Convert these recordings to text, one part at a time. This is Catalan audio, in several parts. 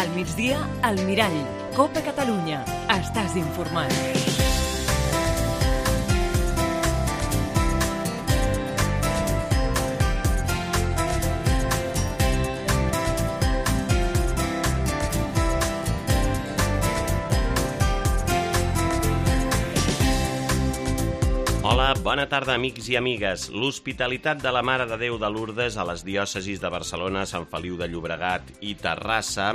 Al migdia, al Mirall. Copa Catalunya. Estàs informat. Hola, bona tarda, amics i amigues. L'Hospitalitat de la Mare de Déu de Lourdes a les diòcesis de Barcelona, Sant Feliu de Llobregat i Terrassa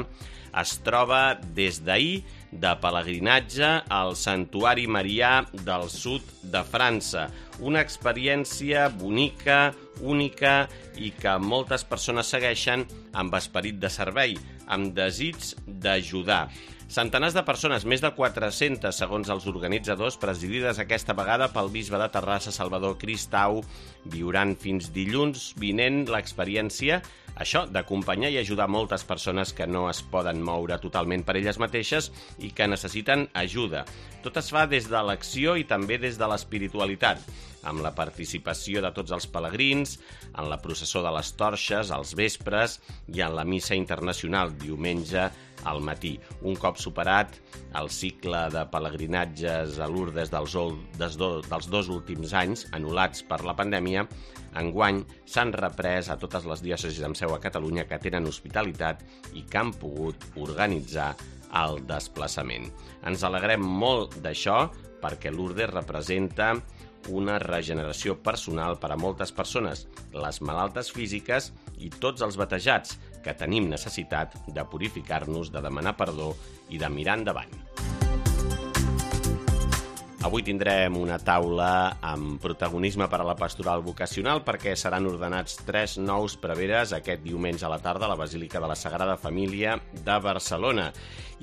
es troba des d'ahir de pelegrinatge al Santuari Marià del sud de França. Una experiència bonica, única i que moltes persones segueixen amb esperit de servei, amb desig d'ajudar. Centenars de persones, més de 400 segons els organitzadors, presidides aquesta vegada pel bisbe de Terrassa, Salvador Cristau, viuran fins dilluns vinent l'experiència, això, d'acompanyar i ajudar moltes persones que no es poden moure totalment per elles mateixes i que necessiten ajuda. Tot es fa des de l'acció i també des de l'espiritualitat, amb la participació de tots els pelegrins, en la processó de les torxes, als vespres i en la missa internacional, diumenge al matí. Un cop superat el cicle de pelegrinatges a Lourdes dels dos últims anys, anul·lats per la pandèmia, enguany s'han reprès a totes les diòcesis amb seu a Catalunya que tenen hospitalitat i que han pogut organitzar el desplaçament. Ens alegrem molt d'això perquè Lourdes representa una regeneració personal per a moltes persones, les malaltes físiques i tots els batejats, que tenim necessitat de purificar-nos, de demanar perdó i de mirar endavant. Avui tindrem una taula amb protagonisme per a la pastoral vocacional perquè seran ordenats 3 nous preveres aquest diumenge a la tarda a la Basílica de la Sagrada Família de Barcelona.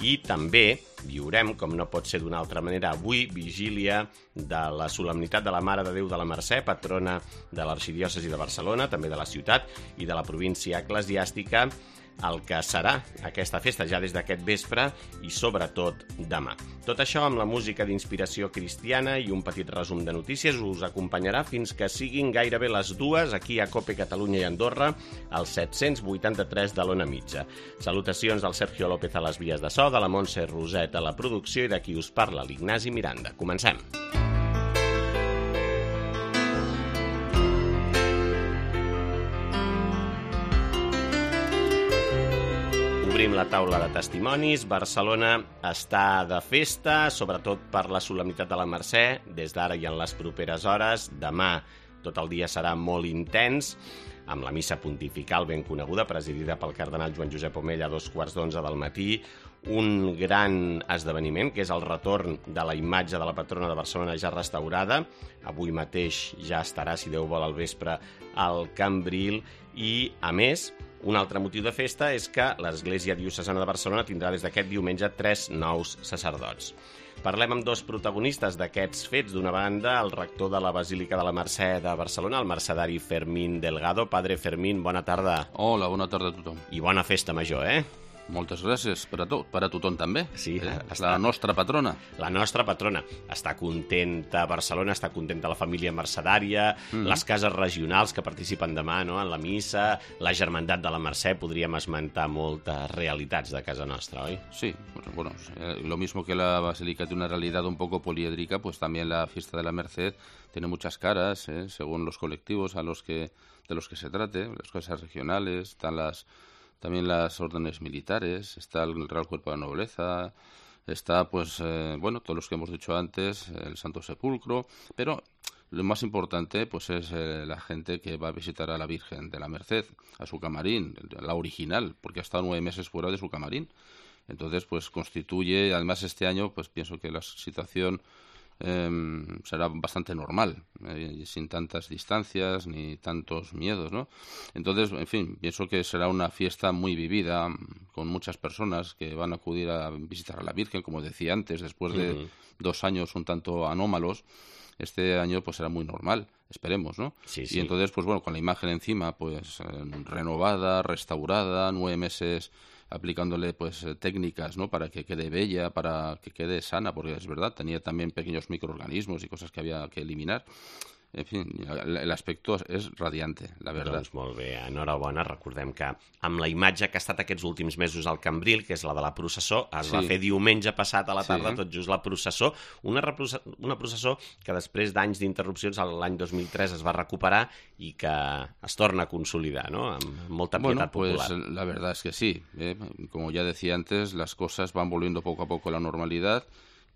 I també viurem, com no pot ser d'una altra manera, avui vigília de la solemnitat de la Mare de Déu de la Mercè, patrona de l'Arxidiòcesi de Barcelona, també de la ciutat i de la província eclesiàstica, el que serà aquesta festa ja des d'aquest vespre i sobretot demà. Tot això amb la música d'inspiració cristiana i un petit resum de notícies us acompanyarà fins que siguin gairebé les 2 aquí a Cope Catalunya i Andorra, al 783 de l'Ona Mitja. Salutacions al Sergio López a les vies de so, de la Montse Roset a la producció i de qui us parla, l'Ignasi Miranda. Comencem. Obrim la taula de testimonis. Barcelona està de festa, sobretot per la solemnitat de la Mercè, des d'ara i en les properes hores. Demà tot el dia serà molt intens, amb la missa pontifical ben coneguda, presidida pel cardenal Joan Josep Omella a 2:15 del matí, un gran esdeveniment, que és el retorn de la imatge de la patrona de Barcelona ja restaurada. Avui mateix ja estarà, si Déu vol, al vespre al Cambril i, a més, un altre motiu de festa és que l'Església Diocesana de Barcelona tindrà des d'aquest diumenge 3 nous sacerdots. Parlem amb 2 protagonistes d'aquests fets. D'una banda, el rector de la Basílica de la Mercè de Barcelona, el mercedari Fermín Delgado. Padre Fermín, bona tarda. Hola, bona tarda a tothom. I bona festa major, Moltes gràcies per a tothom també. Sí, la nostra patrona. La nostra patrona. Està contenta Barcelona, està contenta la família mercedària, les cases regionals que participen demà, no?, en la missa, la Germandat de la Mercè, podríem esmentar moltes realitats de casa nostra, oi? Sí, bueno, lo mismo que la Basílica tiene una realidad un poco poliédrica, pues también la fiesta de la Merced tiene muchas caras, según los colectivos de los que se trate, las cosas regionales, están también las órdenes militares, está el Real Cuerpo de la Nobleza, está, pues, todos los que hemos dicho antes, el Santo Sepulcro, pero lo más importante, pues, es la gente que va a visitar a la Virgen de la Merced, a su camarín, la original, porque ha estado 9 meses fuera de su camarín. Entonces, pues, constituye, además este año, pues, pienso que la situación será bastante normal, sin tantas distancias ni tantos miedos, ¿no? Entonces, en fin, pienso que será una fiesta muy vivida, con muchas personas que van a acudir a visitar a la Virgen, como decía antes, después de 2 años un tanto anómalos. Este año pues será muy normal, esperemos, ¿no? Sí, sí. Y entonces, pues bueno, con la imagen encima, pues renovada, restaurada, 9 meses aplicándole pues técnicas, ¿no?, para que quede bella, para que quede sana, porque es verdad, tenía también pequeños microorganismos y cosas que había que eliminar. En fin, el aspecto és radiante, la verdad. Doncs molt bé, enhorabona. Recordem que amb la imatge que ha estat aquests últims mesos al Cambril, que és la de la processó, es va fer diumenge passat a la tarda, tot just la processó. Una processó que després d'anys d'interrupcions, l'any 2003 es va recuperar i que es torna a consolidar, ¿no? Amb molta pietat popular. Pues la verdad es que sí. Como ya decía antes, las cosas van volviendo poco a poco a la normalidad.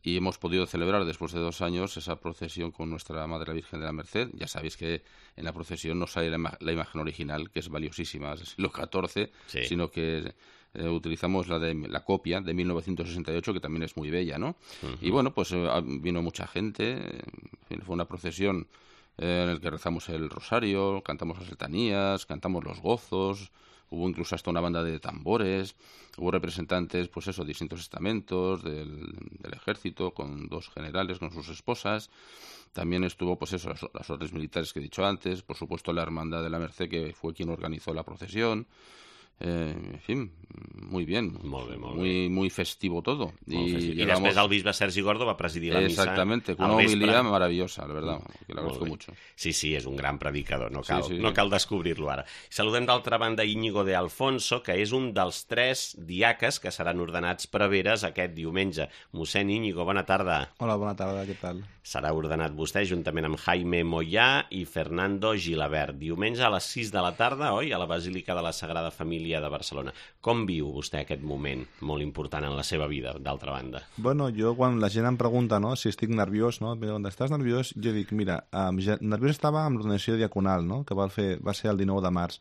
Y hemos podido celebrar después de 2 años esa procesión con nuestra Madre la Virgen de la Merced. Ya sabéis que en la procesión no sale la imagen original, que es valiosísima, es del siglo XIV, sino que utilizamos la copia de 1968, que también es muy bella, ¿no? Y bueno, pues vino mucha gente, fue una procesión en la que rezamos el rosario, cantamos las letanías, cantamos los gozos. Hubo incluso hasta una banda de tambores, hubo representantes, pues eso, distintos estamentos del ejército, con 2 generales, con sus esposas. También estuvo, pues eso, las órdenes militares que he dicho antes, por supuesto la Hermandad de la Merced, que fue quien organizó la procesión. En fin, muy bien, muy festivo todo. Y després el bisbe Sergi Gordo va presidir la missa. Exactamente, con una homilía maravillosa, la verdad, que le agradezco mucho. Sí, és un gran predicador, no cal descobrir-lo ara. Saludem d'altra banda Íñigo de Alfonso, que és un dels 3 diaques que seran ordenats preveres aquest diumenge. Mossèn Íñigo, bona tarda. Hola, bona tarda, què tal? Serà ordenat vostè juntament amb Jaime Moyà i Fernando Gilabert. Diumenge a les 6 de la tarda, oi? A la Basílica de la Sagrada Família de Barcelona. Com viu vostè aquest moment molt important en la seva vida, d'altra banda? Bueno, jo quan la gent em pregunta, no, si estic nerviós, no, estàs nerviós? Jo dic, mira, nerviós estava amb l'ordenació diaconal, no, que va ser el 19 de març.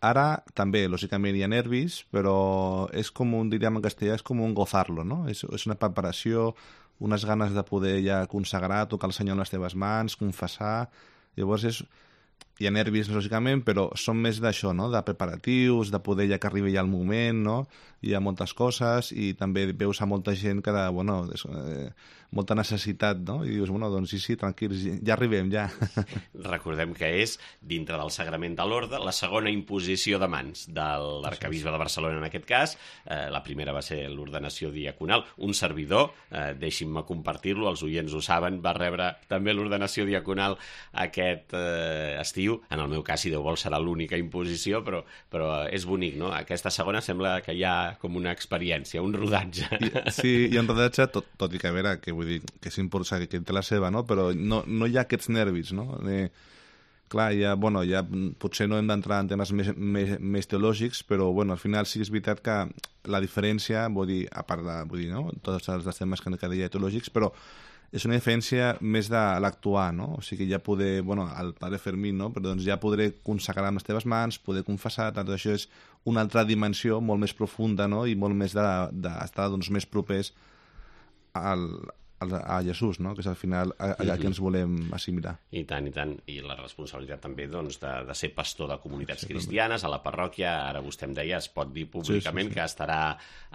Ara també, lògicament, hi ha nervis, però és com diríem en castellà, és com un gozarlo, no? És una preparació, unes ganes de poder ja consagrar, tocar el Senyor en les teves mans, confessar. Llavors hi ha nervis, lògicament, però són més d'això, no? De preparatius, de poder ja que arribi ja el moment, no? Hi ha moltes coses i també veus a molta gent que, bueno, molta necessitat, no? I dius, bueno, doncs sí, tranquils, ja arribem, ja. Recordem que és, dintre del Sagrament de l'Orde, la segona imposició de mans de l'arcabisbe de Barcelona, en aquest cas. La primera va ser l'ordenació diaconal. Un servidor, deixin-me compartir-lo, els oients ho saben, va rebre també l'ordenació diaconal aquest estiu. En el meu cas, si Déu vol, serà l'única imposició, però és bonic, no? Aquesta segona sembla que hi ha com una experiència, un rodatge. Sí, hi ha un rodatge, tot i que a veure, que vull dir, que és important, que té la seva, no? Però no hi ha aquests nervis, no? Clar, potser no hem d'entrar en temes més teològics, però bueno, al final sí que és veritat que la diferència, vull dir, a part de no? Tots els temes que deia teològics, però és una diferència més de l'actuar, no? O sigui, ja poder, bueno, el pare Fermín, no? Però doncs ja podré consagrar amb les teves mans, poder confessar, tot això és una altra dimensió molt més profunda, no? I molt més d'estar doncs, més propers a Jesús, no? Que és al final allà que ens volem assimilar. I tant, i tant. I la responsabilitat també doncs, de ser pastor de comunitats cristianes a la parròquia. Ara vostè em deia, es pot dir públicament que estarà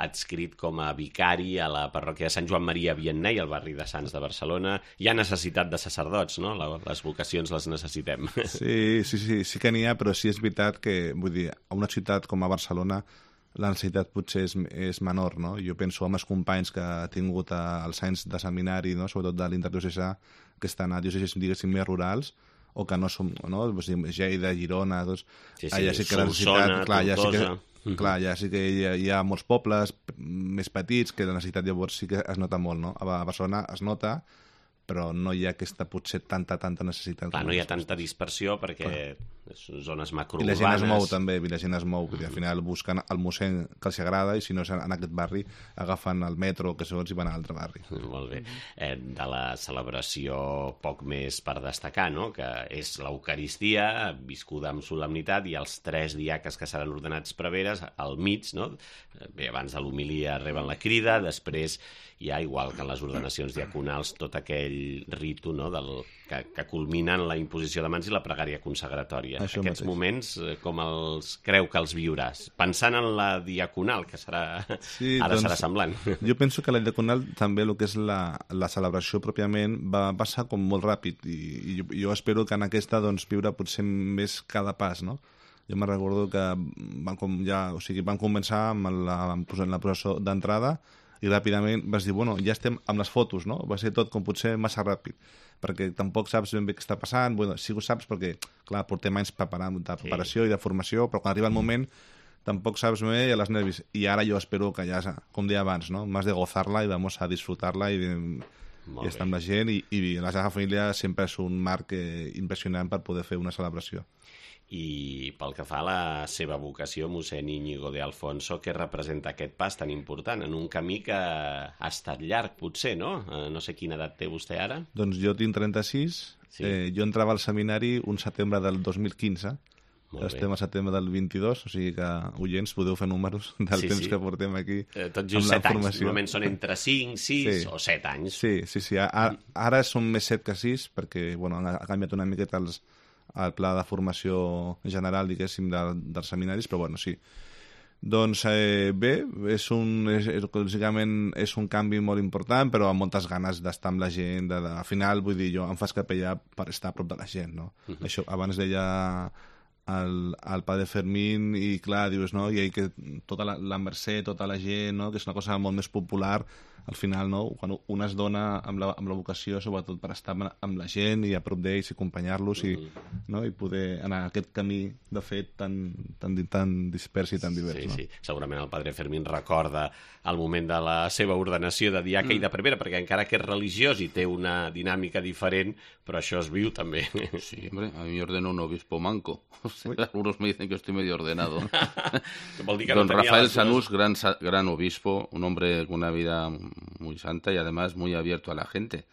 adscrit com a vicari a la parròquia de Sant Joan Maria Vianney, al barri de Sants de Barcelona. Hi ha necessitat de sacerdots, no? Les vocacions les necessitem. Sí que n'hi ha, però sí és veritat que, vull dir, a una ciutat com a Barcelona la necessitat potser és menor, no? Jo penso en els companys que ha tingut els anys de seminari, no? Sobretot de l'interdiocesà, que estan a diòcesis, diguéssim, més rurals, o que no som, no? Lleida, Girona, doncs, allà sí que la necessitat... Clar, ja sí que hi ha molts pobles més petits que la necessitat llavors sí que es nota molt, no? A Barcelona es nota, però no hi ha aquesta potser tanta necessitat. Clar, no hi ha tanta dispersió perquè són zones macrourbanes. I la gent es mou també, perquè al final busquen el mossèn que els agrada i si no és en aquest barri agafen el metro que segons i van a l'altre barri. Molt bé. De la celebració poc més per destacar, no? Que és l'Eucaristia viscuda amb solemnitat i els 3 diaques que seran ordenats preveres al mig, no? Bé, abans de l'homilia reben la crida, després hi ha, igual que en les ordenacions diaconals, tot aquell ritu, no? Que culmina en la imposició de mans i la pregària consagratòria. Aquests moments, com els creu que els viuràs? Pensant en la diaconal, que serà serà semblant. Jo penso que la diaconal també el que és la celebració pròpiament va passar com molt ràpid i jo espero que en aquesta doncs, viure potser més cada pas, no? Jo me'n recordo que van començar amb la processó d'entrada i ràpidament vas dir, bueno, ja estem amb les fotos, no? Va ser tot com potser massa ràpid, perquè tampoc saps ben bé què està passant. Bueno, sí que ho saps perquè, clar, portem anys preparant, de preparació i de formació, però quan arriba el moment tampoc saps bé i a les nervis. I ara jo espero que ja, com deia abans, no? Más de gozar-la i vamos a disfrutar-la i estar amb la gent i la Sagrada Família sempre és un marc impressionant per poder fer una celebració. I pel que fa a la seva vocació, mossèn Íñigo de Alfonso, què representa aquest pas tan important en un camí que ha estat llarg, potser, no? No sé quina edat té vostè ara. Doncs jo tinc 36, jo entrava al seminari un setembre del 2015, estem a setembre del 22, o sigui que, oients, podeu fer números del temps que portem aquí. Tot just 7 anys, normalment són entre 5, 6 o 7 anys. Sí. Ara són més 7 que 6, perquè bueno, ha canviat una miqueta el pla de formació general, diguéssim, dels seminaris, però bueno, sí. Doncs bé, lògicament és un canvi molt important, però amb moltes ganes d'estar amb la gent. Al final, vull dir, jo em faig capellà per estar a prop de la gent, no? Això abans deia el padre Fermín i clar, dius, no? I que tota la Mercè, tota la gent, no? Que és una cosa molt més popular, al final, no? Quan un es dona amb la vocació, sobretot per estar amb la gent i a prop d'ells i acompanyar-los no? I poder anar aquest camí de fet tan dispers i tan divers. Sí. Segurament el padre Fermín recorda el moment de la seva ordenació de diaca i de prevera, perquè encara que és religiós i té una dinàmica diferent, però això es viu també. Sí, hombre, a mí me ordenó un obispo manco. O sea, algunos me dicen que estoy medio ordenado. Don Rafael Sanús, gran obispo, un hombre con una vida muy santa y además muy abierto a la gente.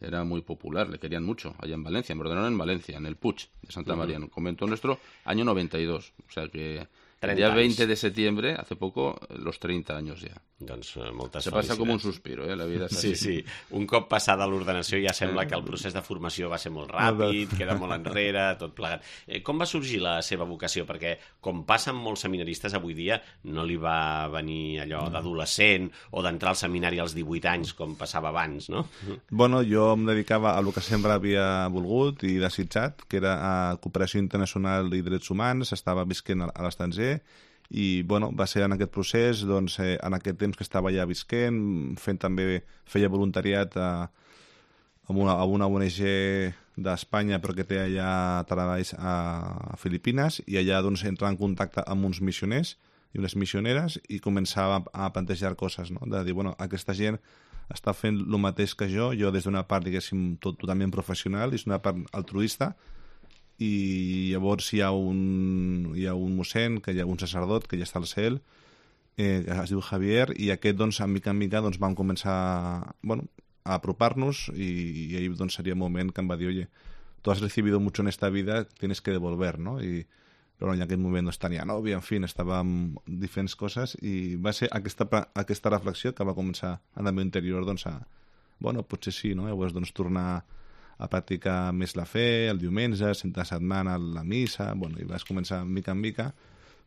Era muy popular, le querían mucho, allá en Valencia. Me ordenaron en Valencia, en el Puig de Santa María, en un convento nuestro, año 92. O sea que el día 20 de septiembre, hace poco, los 30 años ja. Doncs moltes Se passa com un suspiro, la vida és així. Sí. Un cop passada l'ordenació ja sembla que el procés de formació va ser molt ràpid, queda molt enrere, tot plegat. Com va sorgir la seva vocació? Perquè, com passa amb molts seminaristes avui dia, no li va venir allò d'adolescent o d'entrar al seminari als 18 anys, com passava abans, no? Bueno, jo em dedicava a el que sempre havia volgut i desitjat, que era a cooperació internacional i drets humans, estava visquent a l'estranger, i bueno, va ser en aquest procés, doncs, en aquest temps que estava allà visquent, feia voluntariat a una ONG d'Espanya però que té allà treballs a Filipines, i allà doncs entrar en contacte amb uns missioners i unes missioneres i començava a plantejar coses, no? De dir, bueno, aquesta gent està fent el mateix que jo des d'una part, diguéssim, totalment professional, i és una part altruista, i llavors hi ha un mossèn, que hi ha un sacerdot que ja està al cel, que es diu Javier, i aquest, doncs, en mica doncs, vam començar a apropar-nos, i ell doncs, seria el moment que em va dir, oye, tú has recibido mucho en esta vida, tienes que devolver, no? Però en aquell moment doncs, tenia nòvia, en fi, estava amb diferents coses, i va ser aquesta reflexió que va començar en el meu interior doncs, potser sí, no? Llavors doncs, tornar a practicar més la fe, el diumenge, la setmana, la missa, i vas començar mica en mica,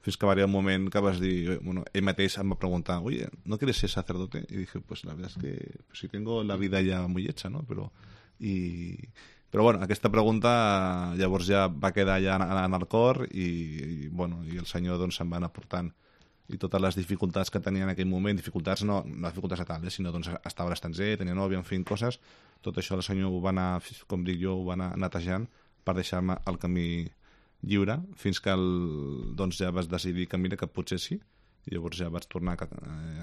fins que va arribar un moment que vas dir, ell mateix em va preguntar, oye, ¿no quieres ser sacerdote? Y dije, pues la verdad es que si tengo la vida ya muy hecha, ¿no? Però aquesta pregunta llavors ja va quedar ja en el cor i el Senyor doncs se'n va anar portant, i totes les dificultats que tenia en aquell moment, dificultats no dificultats a tal, sinó doncs estava a l'estranger, tenia nòvia, en fi, coses, tot això el Senyor ho va anar, com dic jo, ho va anar netejant per deixar-me el camí lliure, fins que doncs ja vas decidir que mira que potser sí, i llavors ja vaig tornar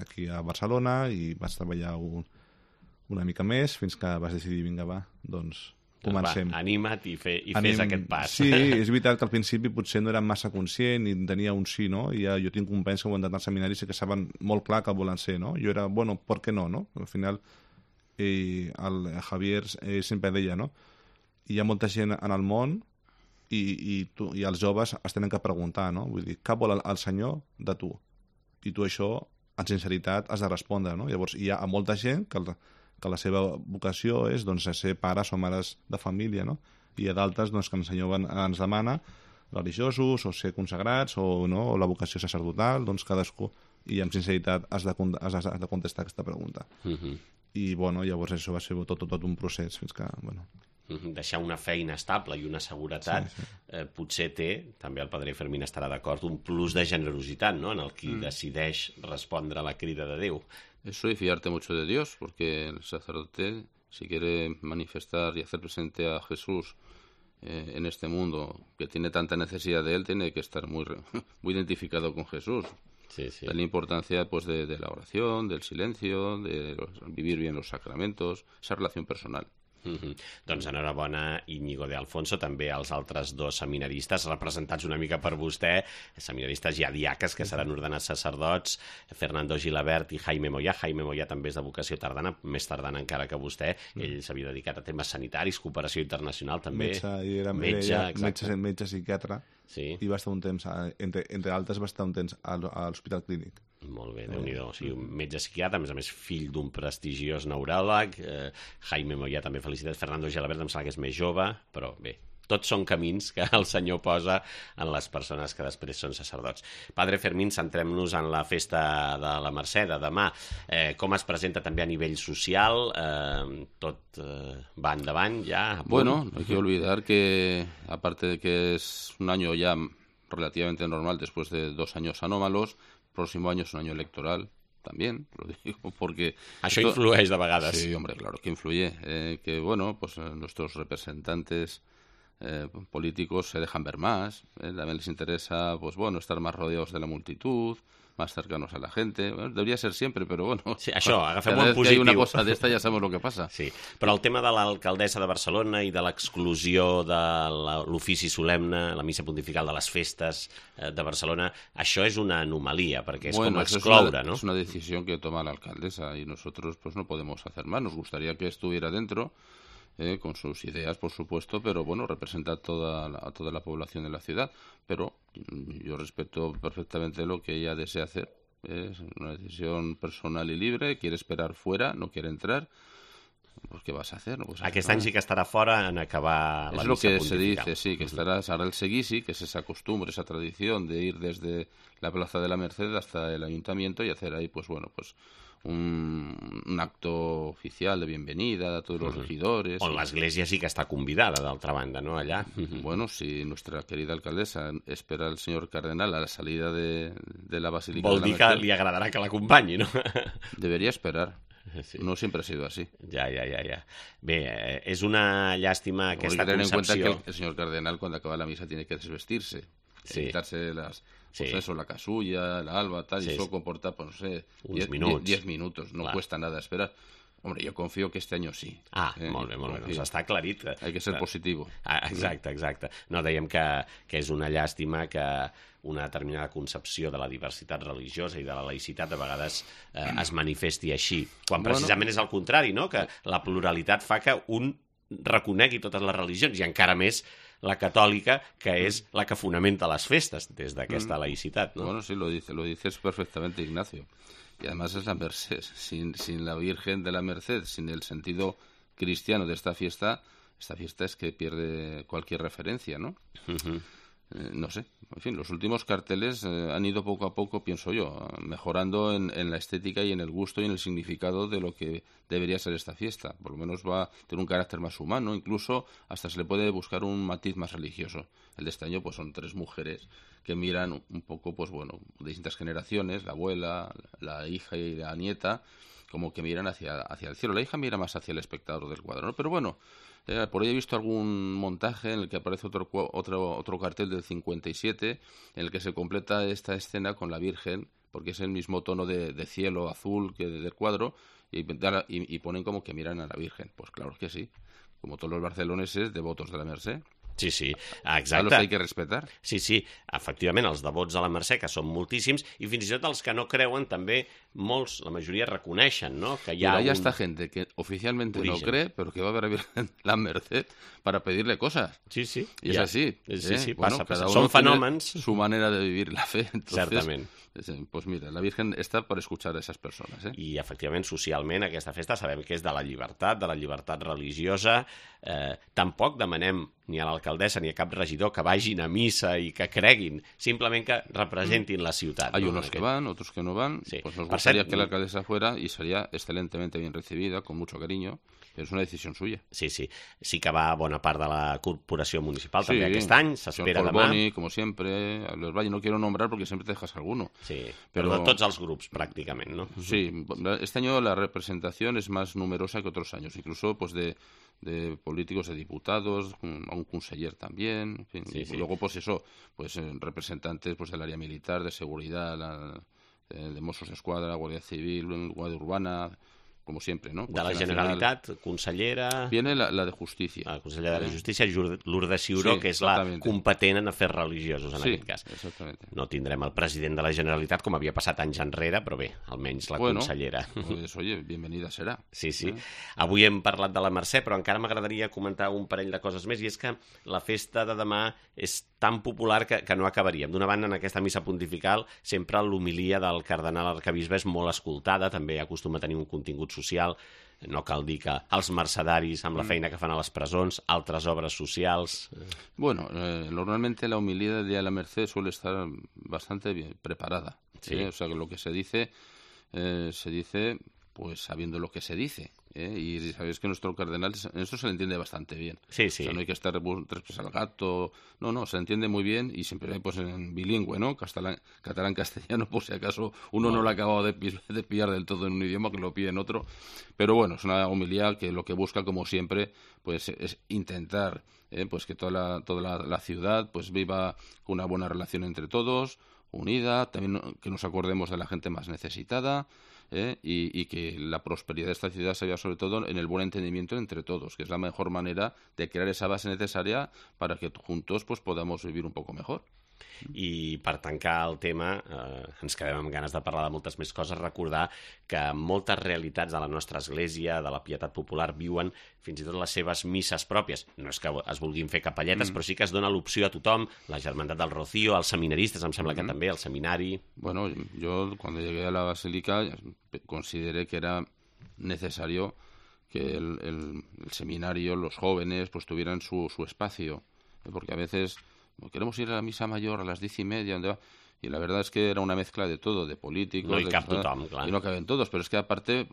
aquí a Barcelona i vaig treballar una mica més fins que vas decidir, vinga, va, doncs comencem. Va, anima't i fes aquest pas. Sí, és veritat que al principi potser no era massa conscient i tenia un sí, no? I jo tinc companys que ho han anat al seminari i que saben molt clar que volen ser, no? Jo era, ¿por qué no? Al final, el Javier sempre deia, no? Hi ha molta gent en el món i els joves es tenen que preguntar, no? Vull dir, què vol el Senyor de tu? I tu això, en sinceritat, has de respondre, no? Llavors, hi ha molta gent que la seva vocació és doncs, ser pares o mares de família, no? I hi ha d'altres doncs, que el Senyor ens demana, religiosos, o ser consagrats, o la vocació sacerdotal, doncs cadascú, i amb sinceritat has de contestar aquesta pregunta. I llavors això va ser tot un procés fins que... Deixar una feina estable i una seguretat potser té, també el padre Fermín estarà d'acord, un plus de generositat, no?, en el qui decideix respondre a la crida de Déu. Eso y fiarte mucho de Dios, porque el sacerdote, si quiere manifestar y hacer presente a Jesús en este mundo que tiene tanta necesidad de él, tiene que estar muy identificado con Jesús. Sí, sí. La importancia pues de la oración, del silencio, de vivir bien los sacramentos, esa relación personal. Doncs enhorabona, Íñigo de Alfonso, també als altres dos seminaristes, representats una mica per vostè, seminaristes ja diaques que seran ordenats sacerdots, Fernando Gilabert i Jaime Moyà. Jaime Moyà també és de vocació tardana, més tardana encara que vostè. Ell s'havia dedicat a temes sanitaris, cooperació internacional també. Metge psiquiatre. Sí. I va estar un temps, entre altres, va estar un temps a l'Hospital Clínic. Molt bé, Déu-n'hi-do. O sigui, un metge psiquiatre, a més fill d'un prestigiós neuròleg. Jaime Moyà també felicitats. Fernando Gelabert em sembla que és més jove, però bé, tots són camins que el Senyor posa en les persones que després són sacerdots. Padre Fermín, centrem-nos en la festa de la Mercè de demà. Com es presenta també a nivell social? Tot va endavant ja? Bueno, no hay que olvidar que, aparte de que es un año ya relativamente normal después de 2 años anómalos, el próximo año es un año electoral también, lo digo porque... Això influeix de vegades. Sí, hombre, claro que influye. Que, bueno, pues nuestros representantes políticos se dejan ver más, también les interesa, pues bueno, estar más rodeados de la multitud, más cercanos a la gente. Bueno, debería ser siempre, però bueno... Sí, això, agafem cada un vez positiu. que hay una cosa d'esta ja sabemos lo que pasa. Sí, però el tema de l'alcaldessa de Barcelona i de l'exclusió de l'ofici solemne, la missa pontifical de les festes de Barcelona, això és una anomalia, perquè és com excloure, ¿no? Es una decisión que toma la alcaldesa y nosotros pues no podemos hacer más. Nos gustaría que estuviera dentro, con sus ideas, por supuesto, pero bueno, representa a toda la población de la ciudad. Pero yo respeto perfectamente lo que ella desea hacer. Es una decisión personal y libre, quiere esperar fuera, no quiere entrar. Pues ¿qué vas a hacer? No puedes hacer Aquest nada. any sí que estarà fora en acabar la es lo missa que pontifical. se dice, sí, que estará ahora el seguisi, que es esa costumbre, esa tradición de ir desde la Plaza de la Merced hasta el Ayuntamiento y hacer ahí, pues bueno, pues un acto oficial de bienvenida a todos los regidores. On l'església sí que està convidada, d'altra banda, no? Allà. Bueno, si nuestra querida alcaldesa espera al señor cardenal a la salida de la Basílica Vol de dir la que Merced, li agradarà que l'acompanyi, no? debería esperar. Sí. No siempre ha sido así. Ja. Bé, és una llàstima Hay que aquesta tener en cuenta concepció. que el señor cardenal cuando acaba la misa tiene que desvestirse, Sí. quitarse las... Sí. Pues eso, la casulla, el alba, tal, Sí, y eso sí. comporta, pues no sé, Uns 10 minutos. No Clar. cuesta nada esperar. Hombre, yo confío que este año sí. Molt bé. Doncs Confío. està aclarit. Hay que ser positivo. Exacte. No, dèiem que és una llàstima que una determinada concepció de la diversitat religiosa i de la laïcitat a vegades es manifesti així, quan precisament és el contrari, no? Que la pluralitat fa que un reconegui totes les religions i encara més la catòlica, que és la que fonamenta les festes des d'aquesta laïcitat, no? Bueno, sí, lo dices perfectamente, Ignacio. Y además es la Merced. Sin la Virgen de la Merced, sin el sentido cristiano de esta fiesta es que pierde cualquier referencia, ¿no? No sé, en fin, los últimos carteles han ido poco a poco, pienso yo, mejorando en la estética y en el gusto y en el significado de lo que debería ser esta fiesta. Por lo menos va a tener un carácter más humano, incluso hasta se le puede buscar un matiz más religioso. El de este año pues son 3 mujeres que miran un poco, pues bueno, de distintas generaciones, la abuela, la hija y la nieta, como que miran hacia el cielo. La hija mira más hacia el espectador del cuadro, ¿no? Pero bueno, por ahí he visto algún montaje en el que aparece otro cartel del 57 en el que se completa esta escena con la Virgen, porque es el mismo tono de cielo azul que del cuadro, y ponen como que miran a la Virgen. Pues claro que sí, como todos los barceloneses devotos de la Merced. Sí, A exacte. los hay que respetar. Sí, efectivament, els devots a la Mercè, que són moltíssims, i fins i tot els que no creuen també, molts, la majoria reconeixen, ¿no? Que hi ha Hay hasta gente que oficialmente no cree, pero que va a ver a Virgen la Merced para pedirle cosas. Sí. Y es así. Sí, Bueno, passa. cada uno Són tiene fenòmens. su manera de vivir la fe. Entonces, Certament. Pues mira, la Virgen está para escuchar a esas personas. I, efectivament, socialment, aquesta festa sabem que és de la llibertat religiosa. Tampoc demanem ni a l'alcaldessa ni a cap regidor que vagin a missa i que creguin, simplement que representin la ciutat. Hay no? unos que van, otros que no van. Sí. Pues nos Per gustaría cert, que la alcaldesa fuera y sería excelentemente bien recibida, con mucho cariño, pero es una decisión suya. Sí. Sí que va bona part de la corporació municipal també aquest any, s'espera señor demà. Colboni, como siempre, a los Valle no quiero nombrar porque siempre te dejas alguno. Sí, pero de tots els grups, prácticamente, ¿no? Sí, este año la representación es más numerosa que otros años, incluso pues de políticos, de diputados, a un conseller también, en fin, sí, y luego pues eso, pues representantes pues del área militar, de seguridad, de Mossos d'Esquadra, Guardia Civil, Guardia Urbana, como siempre, ¿no? De la Generalitat, consellera... Viene la de Justícia. La consellera de la Justícia, Lourdes Ciuró, Sí, que és la exactamente. competent en afers religiosos, en aquest cas. Exactamente. No tindrem el president de la Generalitat, com havia passat anys enrere, però bé, almenys la consellera. Pues, oye, bienvenida serà. Sí, sí. Avui hem parlat de la Mercè, però encara m'agradaria comentar un parell de coses més, i és que la festa de demà és tan popular que no acabaríem. D'una banda, en aquesta missa pontifical, sempre l'homilia del cardenal arcabisbe és molt escoltada, també acostuma a tenir un contingut social. No cal dir que els mercedaris, amb la feina que fan a les presons, altres obres socials... Bueno, normalmente la homilía del Día de la Merced suele estar bastante bien preparada. Sí. O sea, que lo que se dice pues sabiendo lo que se dice. Y sabéis que nuestro cardenal en esto se le entiende bastante bien. Sí, sí. O sea, no hay que estar tres pies al gato. No, se le entiende muy bien y siempre pues en bilingüe, ¿no? Catalán-castellano, por si acaso uno no lo ha acabado de pillar del todo en un idioma, que lo pille en otro. Pero bueno, es una homilía que lo que busca, como siempre, pues es intentar pues que toda la ciudad pues viva con una buena relación entre todos, unida, también que nos acordemos de la gente más necesitada, y que la prosperidad de esta ciudad se vea sobre todo en el buen entendimiento entre todos, que es la mejor manera de crear esa base necesaria para que juntos pues podamos vivir un poco mejor. I per tancar el tema, ens quedem amb ganes de parlar de moltes més coses, recordar que moltes realitats de la nostra església, de la pietat popular, viuen fins i tot les seves misses pròpies. No és que es vulguin fer capelletes, però sí que es dona l'opció a tothom, la Germandat del Rocío, els seminaristes, em sembla que també, el seminari... Bueno, yo cuando llegué a la basílica consideré que era necesario que el seminario, los jóvenes, pues tuvieran su espacio, porque a veces... Queremos ir a la misa mayor a las 10:30, ¿dónde va? Y la verdad es que era una mezcla de todo, de políticos... No hi cap tothom, clar. Y no caben todos, pero es que aparte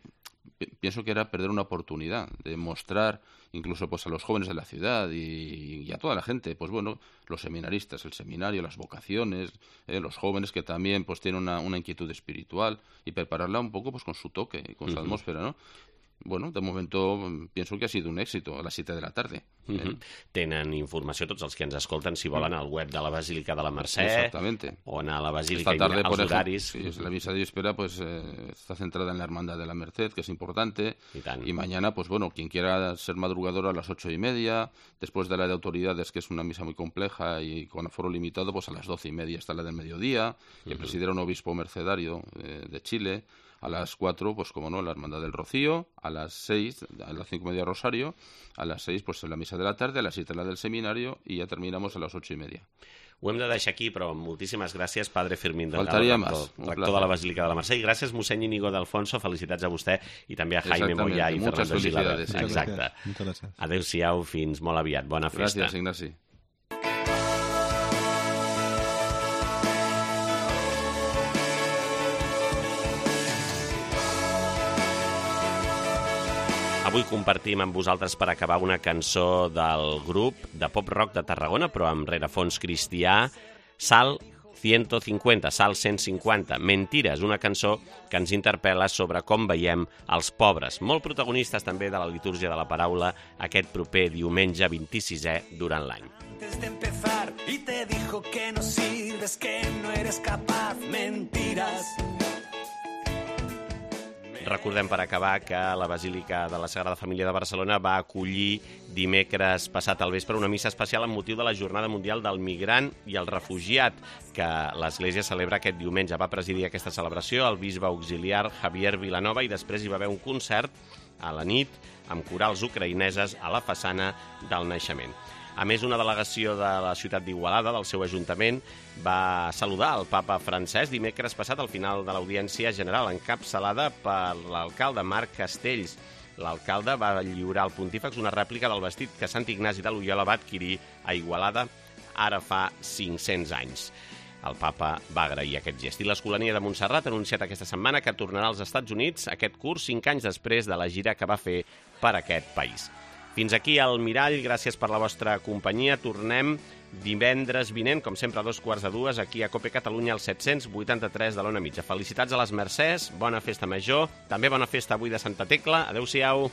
pienso que era perder una oportunidad de mostrar incluso pues a los jóvenes de la ciudad y a toda la gente, pues bueno, los seminaristas, el seminario, las vocaciones, los jóvenes que también pues tienen una inquietud espiritual y prepararla un poco pues con su toque, con su atmósfera, ¿no? Bueno, de momento pienso que ha sido un éxito a las 7 de la tarde. Tenen informació tots els que ens escolten, si volen, al web de la Basílica de la Mercè. Exactamente. O anar a la Basílica Esta tarde, i por els horaris. ejemplo, sí, la misa de víspera pues está centrada en la Hermandad de la Merced, que es importante. Y mañana, pues bueno, quien quiera ser madrugador a las 8:30, después de la de autoridades, que es una misa muy compleja y con aforo limitado, pues a las 12:30 está la del mediodía, que presidirá un obispo mercedario de Chile. A las 4, pues como no, la Hermandad del Rocío, a las 6, a las 5:30 Rosario, a las 6 pues la misa de la tarde, a las 7 la del seminario y ya terminamos a las 8:30. Ho hem de deixar aquí, però moltíssimes gràcies, Padre Fermín Delgado, Faltaria más. rector de la Basílica de la Mercè, i gràcies, mossèn Íñigo de Alfonso, felicitats a vostè i també a Jaime Moyà i Muchas Fernando Gilaber. felicidades, sí. Exacte. Muchas gracias. Adéu-siau, fins molt aviat. Bona festa. Gracias, Ignasi. Avui compartim amb vosaltres per acabar una cançó del grup de pop-rock de Tarragona, però amb rerefons cristià, Sal 150, Sal 150, Mentiras, una cançó que ens interpel·la sobre com veiem els pobres, molt protagonistes també de la litúrgia de la paraula aquest proper diumenge 26è durant l'any. Antes de empezar y te dijo que no sirves, que no eres capaz, mentiras. Recordem per acabar que la Basílica de la Sagrada Família de Barcelona va acollir dimecres passat al vespre una missa especial amb motiu de la Jornada Mundial del Migrant i el Refugiat, que l'Església celebra aquest diumenge. Va presidir aquesta celebració el bisbe auxiliar Javier Vilanova i després hi va haver un concert a la nit amb corals ucraïneses a la façana del Naixement. A més, una delegació de la ciutat d'Igualada, del seu ajuntament, va saludar el papa francès dimecres passat al final de l'audiència general, encapçalada per l'alcalde Marc Castells. L'alcalde va lliurar al pontífex una rèplica del vestit que Sant Ignasi de Loyola va adquirir a Igualada ara fa 500 anys. El papa va agrair aquest gest. I l'Escolania de Montserrat ha anunciat aquesta setmana que tornarà als Estats Units aquest curs 5 anys després de la gira que va fer per aquest país. Fins aquí el Mirall, gràcies per la vostra companyia. Tornem divendres vinent, com sempre, a 2:45, aquí a Cope Catalunya, al 783 de l'Ona Mitja. Felicitats a les Mercès, bona festa major, també bona festa avui de Santa Tecla. Adéu-siau.